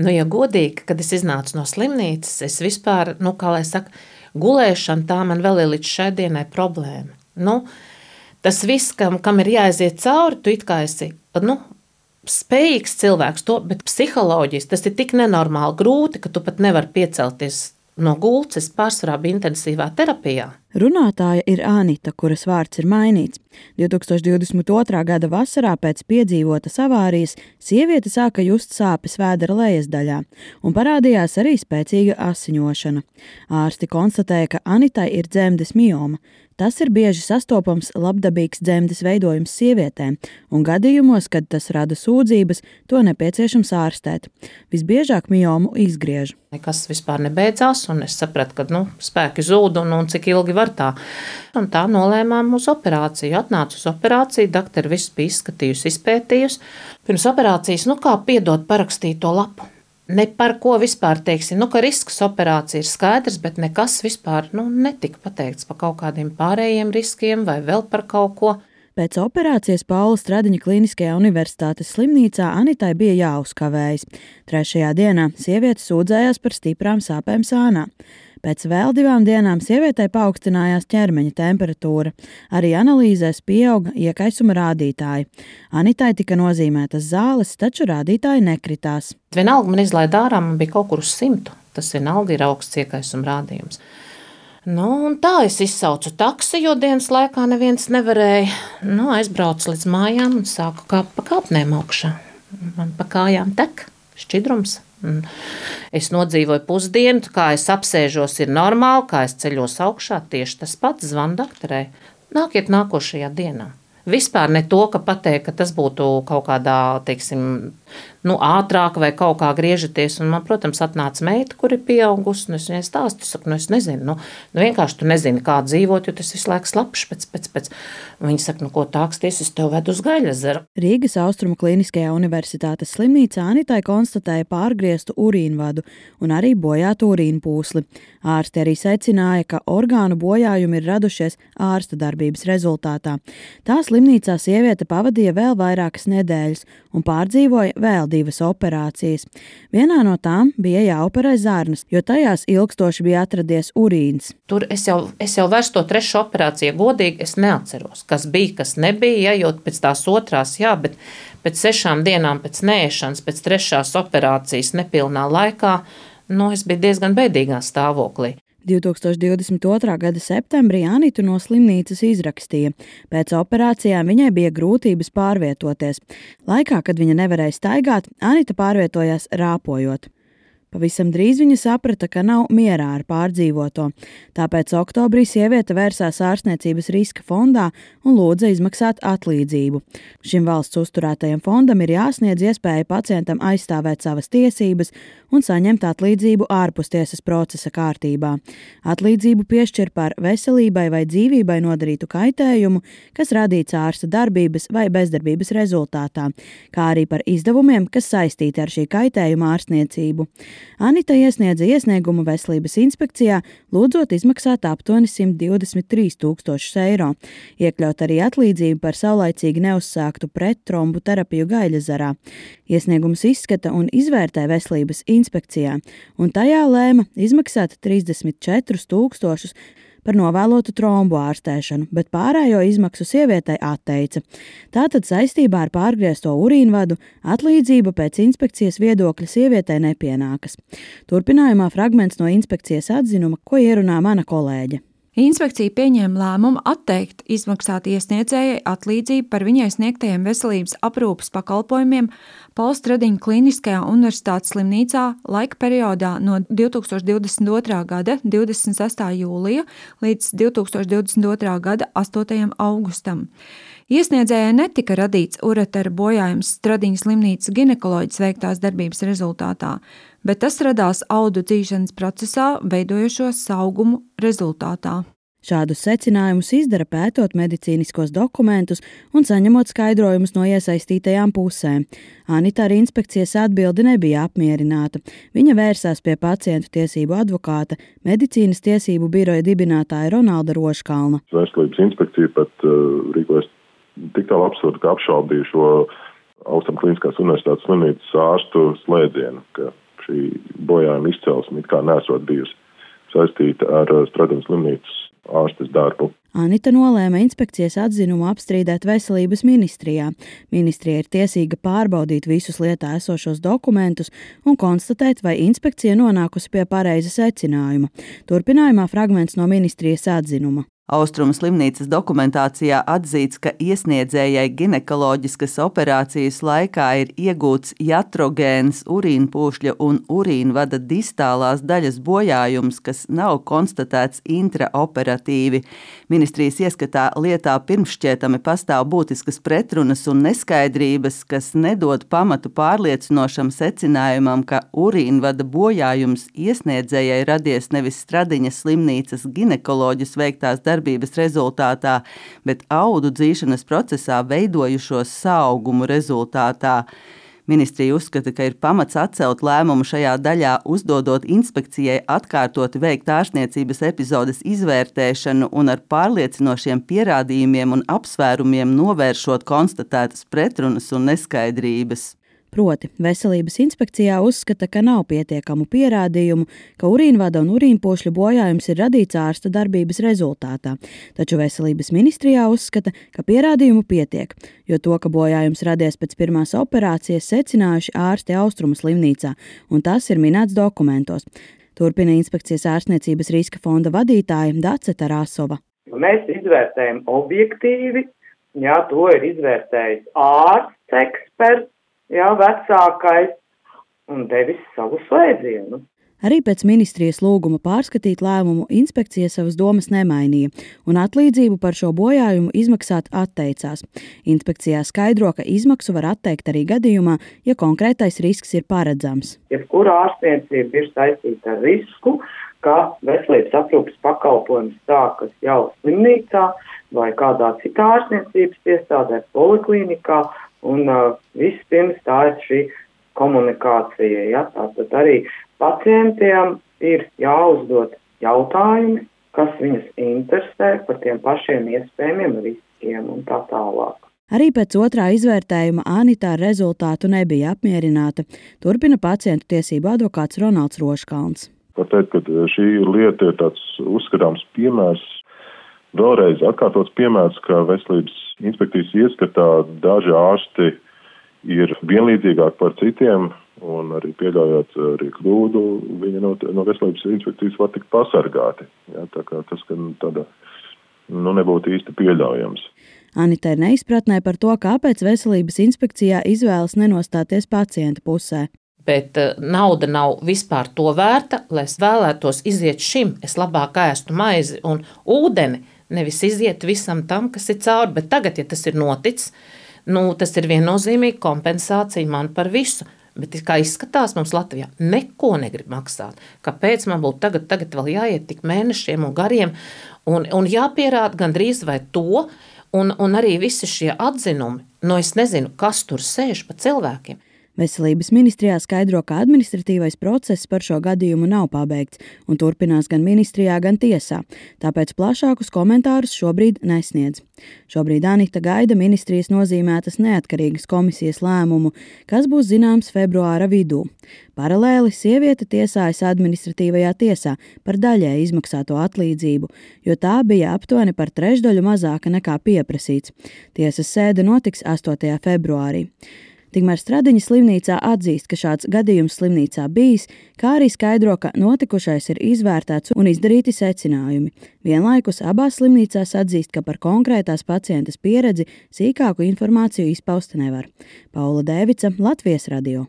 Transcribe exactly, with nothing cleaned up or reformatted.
Nu, ja godīgi, kad es iznācu no slimnīcas, es vispār, nu, kā lai saka, gulēšana tā man vēl ir līdz šai dienai problēma. Nu, tas viss, kam, kam ir jāaiziet cauri, tu it kā esi, nu, spējīgs cilvēks to, bet psiholoģiski tas ir tik nenormāli grūti, ka tu pat nevari piecelties no gultas. Pārsvarā bija intensīvā terapijā. Runātāja ir Anita, kuras vārds ir mainīts. divtūkstoš divdesmit otrā gada vasarā pēc piedzīvotas avārijas sieviete sāka just sāpes vēdera lejas daļā un parādījās arī spēcīga asiņošana. Ārsti konstatēja, ka Anitai ir dzemdes mioma. Tas ir bieži sastopams labdabīgs dzemdes veidojums sievietēm, un gadījumos, kad tas rada sūdzības, to nepieciešams ārstēt. Visbiežāk miomu izgriež. Nekas vispār nebeidzās, un es sapratu, ka nu, spēki zūd un, un cik ilgi var tā. Un tā nolēmām uz operāciju. Atnācu uz operāciju, doktori visu bija izskatījusi, izpētījusi. Pirms operācijas, nu kā piedot parakstīt to lapu. Ne par ko vispār teiksim, nu, ka risks operācija ir skaidrs, bet nekas vispār nu, netika pateikts par kaut kādiem pārējiem riskiem vai vēl par kaut ko. Pēc operācijas Paula Stradiņa Kliniskajā universitātes slimnīcā Anitai bija jāuzkavējas. Trešajā dienā sieviete sūdzējās par stiprām sāpēm sānā. Pēc vēl divām dienām sievietei paaugstinājās ķermeņa temperatūra. Arī analīzēs pieauga iekaisuma rādītāji. Anitai tika nozīmētas zāles, taču rādītāji nekritās. Vienalga man izlaida ārā, man bija kaut kur uz simtu. Tas vienalga ir augsts iekaisuma rādījums. Nu, un tā es izsaucu taksi, jo dienas laikā neviens nevarēja. Nu, aizbraucu līdz mājām un sāku kāpt pa kāpnēm augšā. Man pa kājām tek šķidrums. Es nodzīvoju pusdienu, kā es apsēžos, ir normāli, kā es ceļos augšā, tieši tas pats. Zvanu doktorei. Nākiet nākošajā dienā. Vispār ne to, ka pateikt, ka tas būtu kaut kādā, teiksim, nu, ātrāk vai kaut kā griežaties. Un man, protams, atnāca meita, kur ir pieaugusi, un es viņai stāstu, saku, nu, es nezinu, nu, nu vienkārši tu nezini, kā dzīvot, jo tas visu laiku slapš pēc, pēc, pēc. Un viņa saka, nu, ko tāksties, es tev vedu uz Gaļezeru. Rīgas Austrumu Kliniskajā universitātes slimnīcā Anitai konstatēja pārgrieztu urīnvadu un arī bojātu urīnu pūsli. Ārsti arī secināja, ka orgānu bojājumi ir radušies ārsta darbības rezultātā. Tā slimnīcā sieviete pavadīja vēl vairākas nedēļas un pārdzīvoja vēl divas operācijas. Vienā no tām bija jāoperē zarnas, jo tajās ilgstoši bija atradies urīns. Tur es jau, es jau vairs to trešo operāciju godīgi es neatceros, kas bija, kas nebija, ja, jo pēc tās otrās, jā, bet pēc sešām dienām pēc neēšanas, pēc trešās operācijas nepilnā laikā, nu, es biju diezgan bēdīgā stāvoklī. divtūkstoš divdesmit otrā gada septembrī Anitu no slimnīcas izrakstīja. Pēc operācijām viņai bija grūtības pārvietoties. Laikā, kad viņa nevarēja staigāt, Anita pārvietojās rāpojot. Pavisam drīz viņa saprata, ka nav mierā ar pārdzīvoto. Tāpēc oktobrī sieviete vērsās ārstniecības riska fondā un lūdza izmaksāt atlīdzību. Šim valsts uzturētajam fondam ir jāsniedz iespēja pacientam aizstāvēt savas tiesības un saņemt atlīdzību ārpustiesas procesa kārtībā. Atlīdzību piešķir par veselībai vai dzīvībai nodarītu kaitējumu, kas radīts ārsta darbības vai bezdarbības rezultātā, kā arī par izdevumiem, kas saistīti ar šī kaitējuma ārstniecību. Anita iesniedza iesniegumu Veselības inspekcijā, lūdzot izmaksāt aptuveni simt divdesmit trīs tūkstošus eiro, iekļaut arī atlīdzību par saulaicīgi neuzsāktu prettrombu terapiju Gaļezerā. Iesniegums izskata un izvērtē Veselības inspekcijā, un tajā lēma izmaksāt trīsdesmit četrus tūkstošus par novēlotu trombu ārstēšanu, bet pārējo izmaksu sievietei atteica. Tātad saistībā ar pārgriezto urīnvadu atlīdzība pēc inspekcijas viedokļa sievietei nepienākas. Turpinājumā fragments no inspekcijas atzinuma, ko ierunā mana kolēģe. Inspekcija pieņēma lēmumu atteikt izmaksāt iesniedzējai atlīdzību par viņai sniegtajiem veselības aprūpes pakalpojumiem Paula Stradiņa Kliniskajā universitātes slimnīcā laika periodā no divtūkstoš divdesmit otrā gada divdesmit sestā jūlija līdz divtūkstoš divdesmit otrā gada astotajam augustam. Iesniedzējai netika radīts uretera bojājums Stradiņas slimnīcas ginekoloģijas veiktās darbības rezultātā, bet tas radās audu dzīšanas procesā veidojošo saugumu rezultātā. Šādus secinājumus izdara pētot medicīniskos dokumentus un saņemot skaidrojumus no iesaistītajām pusēm. Anita ar inspekcijas atbildi nebija apmierināta. Viņa vērsās pie pacientu tiesību advokāta, medicīnas tiesību biroja dibinātāja Ronalda Roškalna. Veselības inspekcija pat uh, rīkojas tik tālu absurdi, ka apšaubīja šo Austrum Kliniskās universitātes slimnīcas ārstu slēdzienu, ka šī bojājuma izcelsme it kā nesot bijusi saistīta ar Stradiņas slimnīcas ārstes darbu. Anita nolēma inspekcijas atzinumu apstrīdēt Veselības ministrijā. Ministrija ir tiesīga pārbaudīt visus lietā esošos dokumentus un konstatēt, vai inspekcija nonākusi pie pareiza secinājuma. Turpinājumā fragments no ministrijas atzinuma. Austrumu slimnīcas dokumentācijā atzīts, ka iesniedzējai ginekoloģiskas operācijas laikā ir iegūts jatrogēns urīnpūšļa un urīnvada distālās daļas bojājums, kas nav konstatēts intraoperatīvi. Ministrijas ieskatā lietā pirmšķietami pastāv būtiskas pretrunas un neskaidrības, kas nedod pamatu pārliecinošam secinājumam, ka urīnvada bojājums iesniedzējai radies nevis Stradiņas slimnīcas ginekoloģis veiktās darbības darbības rezultātā, bet audu dzīšanas procesā veidojušos saaugumu rezultātā. Ministrija uzskata, ka ir pamats atcelt lēmumu šajā daļā, uzdodot inspekcijai atkārtoti veikt ārstniecības epizodes izvērtēšanu un ar pārliecinošiem pierādījumiem un apsvērumiem novēršot konstatētas pretrunas un neskaidrības. Proti, Veselības inspekcijā uzskata, ka nav pietiekamu pierādījumu, ka urīnvada un urīnpūšļu bojājums ir radīts ārsta darbības rezultātā, taču Veselības ministrijā uzskata, ka pierādījumu pietiek, jo to, ka bojājums radies pēc pirmās operācijas, secinājuši ārsti Austrumu slimnīcā, un tas ir minēts dokumentos. Turpina inspekcijas ārstniecības riska fonda vadītāja Dace Tarasova. Mēs izvērtējam objektīvi, jā, to ir izvērtējis ārsts, eksperts, jā, vecākais, un devis savu slēdzienu. Arī pēc ministrijas lūguma pārskatīt lēmumu inspekcija savas domas nemainīja un atlīdzību par šo bojājumu izmaksāt atteicās. Inspekcijā skaidro, ka izmaksu var atteikt arī gadījumā, ja konkrētais risks ir paredzams. Jebkura ārstniecība ir saistīta ar risku, ka veselības aprūpes pakalpojums sākas jau slimnīcā vai kādā citā ārstniecības iestādē, poliklinikā, un uh, vispirms tā ir šī komunikācija. Ja? Tātad arī pacientiem ir jāuzdod jautājumi, kas viņus interesē par tiem pašiem iespējamiem riskiem un tā tālāk. Arī pēc otrā izvērtējuma Anita ar rezultātu nebija apmierināta. Turpina pacientu tiesību advokāts Ronalds Roškalns. Var teikt, ka šī lieta ir tāds uzskatāms piemērs, vēlreiz atkārtots piemērs, ka veselības inspekcijas ieskatā daži ārsti ir vienlīdzīgāki par citiem un arī pieļaujot arī kļūdu, viņi no, no veselības inspekcijas var tikt pasargāti. Ja, tā kā tas, ka tāda, nu, nebūtu īsti pieļaujams. Anita ir neizpratnē par to, kāpēc veselības inspekcijā izvēlas nenostāties pacienta pusē. Bet uh, nauda nav vispār to vērta, lai es vēlētos iziet šim. Es labāk ēstu maizi un ūdeni, nevis iziet visam tam, kas ir cauri. Bet tagad, ja tas ir noticis, nu, tas ir viennozīmīgi kompensācija man par visu. Bet kā izskatās, mums Latvijā neko negrib maksāt. Kāpēc man būtu tagad, tagad vēl jāiet tik mēnešiem un gariem un, un jāpierāda gandrīz vai to, un, un arī visi šie atzinumi, nu es nezinu, kas tur sēž pa cilvēkiem. Veselības ministrijā skaidro, ka administratīvais process par šo gadījumu nav pabeigts un turpinās gan ministrijā, gan tiesā, tāpēc plašākus komentārus šobrīd nesniedz. Šobrīd Anita gaida ministrijas nozīmētas neatkarīgas komisijas lēmumu, kas būs zināms februāra vidū. Paralēli sieviete tiesājas administratīvajā tiesā par daļēji izmaksāto atlīdzību, jo tā bija aptuveni par trešdaļu mazāka nekā pieprasīts. Tiesas sēde notiks astotajā februārī. Tikmēr Stradiņas slimnīcā atzīst, ka šāds gadījums slimnīcā bijis, kā arī skaidro, ka notikušais ir izvērtēts un izdarīti secinājumi. Vienlaikus abās slimnīcās atzīst, ka par konkrētās pacientes pieredzi sīkāku informāciju izpaust nevar. Paula Dēvica, Latvijas radio.